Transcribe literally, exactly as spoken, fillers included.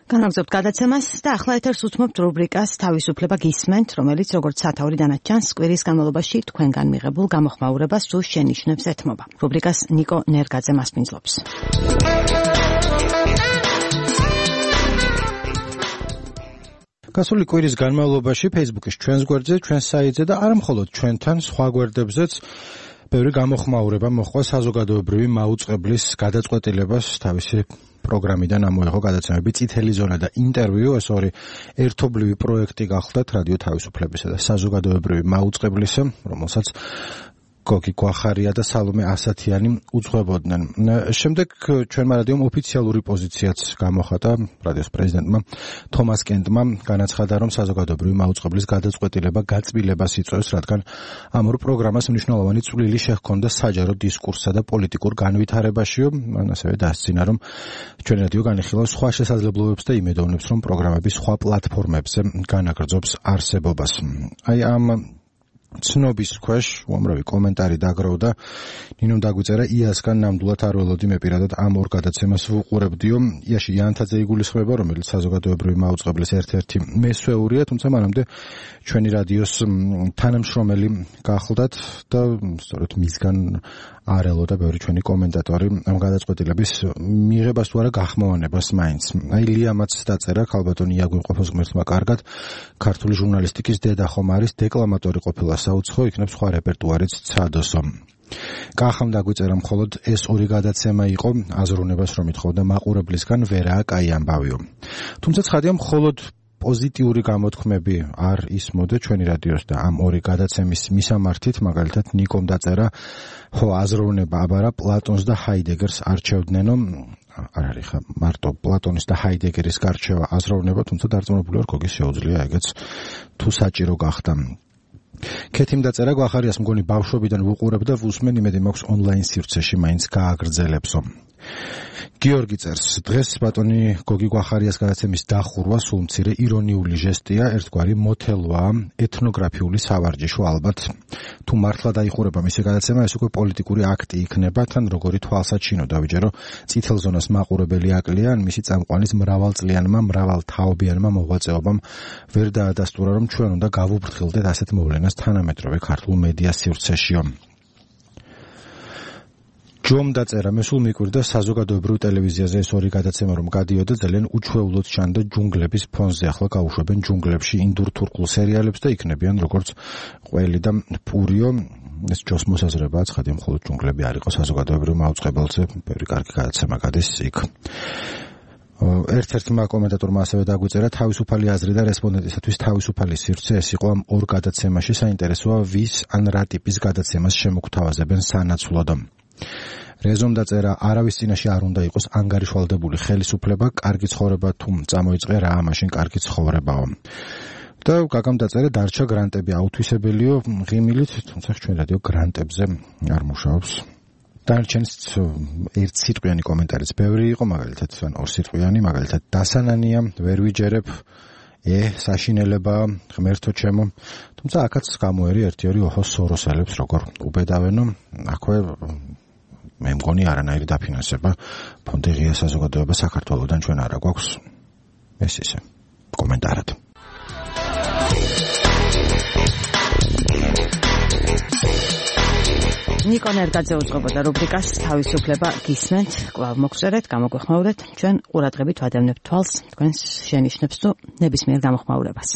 განაგრძობთ გადაცემას და ახლა ეთერს უთმობთ რუბრიკას თავისუფლება გისმენთ, რომელიც როგორც სათაური დანაჩანს კვირის განმავლობაში თქვენგან მიღებულ გამოხმაურებას თუ შენიშვნებს ეთმობა. რუბრიკას ნიკო ნერგაძე მასპინძლობს. გასული კვირის განმავლობაში Facebook-ის ჩვენს გვერდზე, ჩვენს საიტზე და არა მხოლოდ ჩვენთან, სხვა გვერდებზეც ბევრი გამოხმაურება მოხდა საზოგადოებრივი მაუწყებლის გადაწყვეტილებას თავისი პროგრამიდან ამოიღო გადაცემები წითელი ზონა და ინტერვიუ, ეს ორი ერთობლივი პროექტი გახლდათ რადიო თავისუფლებისა და საზოგადოებრივი მაუწყებლისა, რომელსაც გოგი გვახარია და სალომე ასათიანი უძღვებოდნენ. შემდეგ ჩვენმა რადიომ ოფიციალური პოზიციაც გამოხატა რადიოს პრეზიდენტმა თომას კენტმა, განაცხადა, რომ საზოგადოებრივი მაუწყებლის გადაწყვეტილება გაწმილებას იწვევს, რადგან ამ ორ პროგრამას მნიშვნელოვანი წვლილი შეჰქონდა საჯარო დისკურსსა და პოლიტიკურ განვითარებაშიო. მან ასევე დასძინა, რომ ჩვენი რადიო განიხილავს სხვა შესაძლებლობებს და იმედოვნებს, რომ პროგრამები სხვა პლატფორმებზე განაგრძობს არსებობას. აი ამ ცნობის ქვეშ უამრავი კომენტარი დაგროვდა. ნინომ დაგვიწერა იასგან ნამდვილად არ ველოდი მე პირადად ამ ორ გადაცემას ვუყურებდიო. იაში იანთაძე იგულისხმება, რომელიც საზოგადოებრივი მაუწყებლის ერთ-ერთი მესვეურია, თუმცა მანამდე ჩვენი რადიოს თანამშრომელი გახლდათ და სწორედ მისგან არ ელოდა ბევრი ჩვენი კომენტატორი ამ გადაწყვეტილების მიღებას თუ არა გახმოვანებას მაინც. აი ლიამაც დაწერა, ქალბატონი იაგვიმყოფოს ღმერთმა კარგად, ქართული ჟურნალისტიკის დედა ხომ არის, დეკლამატორი ყოფილა საუცხო, იქნებ სხვა რეპერტუარიც ცადოსო. კახამ დაგვიწერა, მხოლოდ ეს ორი გადაცემა იყო, აზროვნებას რომ ითხოვდა მაყურებლისგან, ვერაა კაი ამბავიო. თუმცა ცხადია, მხოლოდ პოზიტიური გამოთქმები არ ისმოდა ჩვენი რადიოს და ამ ორი გადაცემის მისამართით, მაგალითად ნიკომ დაწერა, ხო აზროვნება აბარა პლატონს და ჰაიდეგერს არჩევდნენო, არ არის ხა მარტო პლატონის და ჰაიდეგერის გარჩევა აზროვნება, თუმცა დარწმუნებული ვარ, გოგის შეუძლია ეგეც თუ საჭირო გახდა. ქეთიმ დაწერა, გვახარიას მგონი ბავშვობიდან ვუყურებ და ვუსმენ, იმედი მაქვს ონლაინ სივრცეში მაინც გააგრძელებსო. გიორგი წერს, დღეს ბატონი გოგი გვახარიას გადაცემის დახურვა სულ მცირე ირონიული ჟესტია, ერთგვარი მოთელვაა, ეთნოგრაფიული სავარჯიშო ალბათ. თუ მართლა დაიხურება მისი გადაცემა, ეს უკვე პოლიტიკური აქტი იქნება, თან როგორი თვალსაჩინო დავიჯერო წითელ ზონას მაყურებელი აკლია, ან მისი წამყვანის მრავალწლიანმა, მრავალთაობიანმა მოღვაწეობამ ვერ დაადასტურა, რომ ჩვენ უნდა გავუფრთხილდეთ ასეთ მოვლენას თანამედროვე ქართულ მედია სივრცეშიო. ჯომ დაწერა, მე სულ მიკვირდა საზოგადოებრივ ტელევიზიაზე ეს ორი გადაცემა რომ გადიოდა, ძალიან უჩვეულოდ ჩანდა ჯუნგლების ფონზე. ახლა გაუშვებენ ჯუნგლებში ინდურ თურქულ სერიალებს და იქნებიან როგორც ყველი და პურიო. ეს ჯოს მოსაზრებაა, ცხადია, მხოლოდ ჯუნგლები არ იყო საზოგადოებრივ მაუწყებელზე, ბევრი კარგი გადაცემა გადის იქ. ერთ-ერთმა კომენტატორმა ასევე დაგვიწერა, თავისუფალი აზრი და რესპონდენტისათვის თავისუფალი სივრცე, ეს იყო ამ ორ გადაცემაში. საინტერესოა, ვის ან რა ტიპის გადაცემას შემოგთავაზებენ სანაცვლოდ. რეზომ დაწერა, არავის წინაშე არ უნდა იყოს ანგარიშვალდებული ხელისუფლება, კარგი ცხოვრება თუ წამოიწყე რა, მაშინ კარგი ცხოვრებაო. და გაგამ დაწერა, დარჩა გრანტები აუთვისებელიო ღიმილით, თუმცა ჩვენ რადიო გრანტებზე არ მუშაობს. დარჩენს ერთ სიტყვიანი კომენტარიც ბევრი იყო, მაგალითად ან ორ სიტყვიანი, მაგალითად დასანანია, ვერ ვიჯერებ, ე საშინელება, ღმერთო ჩემო. თუმცა აქაც გამოერი ერთი-ორი ოჰო სოროსელებს როგორ უბედავენო, აქვე მე მგონი არანაირი დაფინანსება ფონდი ღია საზოგადოება საქართველოსთან ჩვენ არა გვაქვს. ეს ისე კომენტარად. ნიკო ნერგაძე უძღვებოდა რუბრიკას თავისუფლება გისმენთ, კვლავ მოგწერეთ, გამოგვეხმაურეთ, ჩვენ ყურადღებით ვადევნებთ თვალს თქვენს შენიშვნებს თუ ნებისმიერ გამოხმაურებას.